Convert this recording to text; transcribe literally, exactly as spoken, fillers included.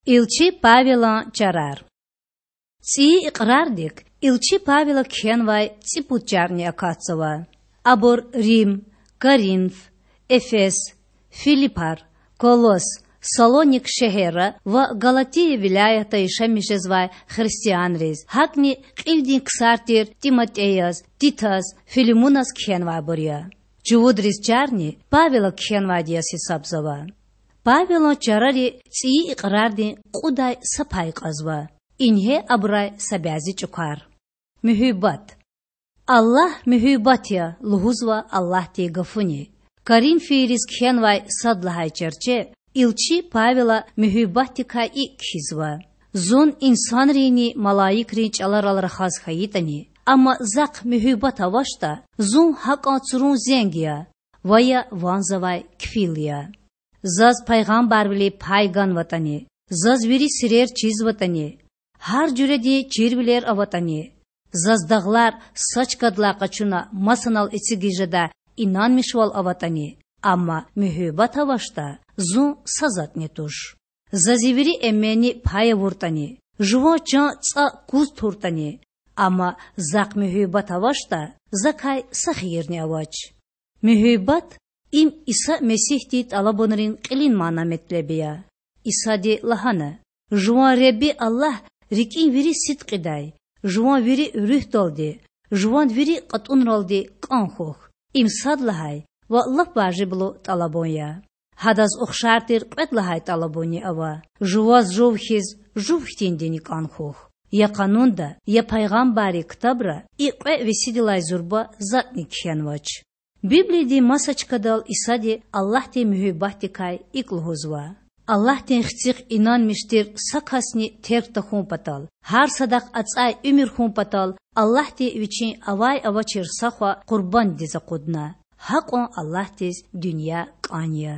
Илчи Павелан чарар. ЦІийи икьрардик илчи Павела кхьенвай цІипуд чарни акатзава. Абур Рим, Коринф, Эфес, Филипар, Колос, Салоник шегьерра ва Галатия вилаятда яшамиш жезвай христианриз, гьакІни кьилдин ксар тир ТиматІеяз, Титаз, Филимуназ кхьенвайбур я. Чувудриз чарни Павела кхьенвайди яз гьисабзава. Павелан чарари цІийи икьрардин кьудай са пай кьазва. Ингье абурай са бязи чІукар. Муьгьуьббат. Аллагь муьгьуьббат я лугьузва Аллагьдин Гафуни. Коринфийриз кхьенвай сад лагьай чарче илчи Павела муьгьуьббатдикай икІ кхьизва: Зун инсанринни малаикрин чІаларал рахаз хьайитІани, амма Захъ муьгьуьббат авачтІа, зун гьакІан цурун зенг я ва я ванзавай кфил я. Заз пайгъамбарвилин пай ганватІани, заз вири сирер чизватІани, гьар жуьредин чирвилер аватІани, заз дагълар са чкадилай къачуна масанал эцигиз жедай инанмишвал аватІани, амма муьгьуьббат авачтІа, зун са затІни туш. За зи вири эменни пай авуртІани, жуван чан цІа куз туртІани, амма Захъ муьгьуьббат авачтІа, Закай са хийирни авач. Муьгьуьббат— им Иса Месигьдин тІалабунрин кьилин мана-метлеб я. Исади лагьана: Жуван Худа Аллагь рикІин вири сидкьидай, жуван вири руьгьдалди, жуван вири кьатІунралди кІан хьухь. Им сад лагьай ва лап важиблу тІалабун я. Гьадаз ухшар тир кьвед лагьай тІалабунни ава: жуваз жув хьиз жув хьтиндини кІан хьухь. Я Къанунда, я пайгъамбаррин ктабра и кьве весидилай зурба затІни кхьенвач. Библиядин маса чкадал Исади Аллагьдин муьгьуьббатдикай икІ лугьузва: Аллагьдин Хцихъ инанмиш тир са касни терг тахьун патал, гьар садахъ ацІай уьмуьр хьун патал Аллагьди Вичин авай-авачир са хва къурбанддиз акъудна. Гьакьван Аллагьдиз дуьнья кІан я.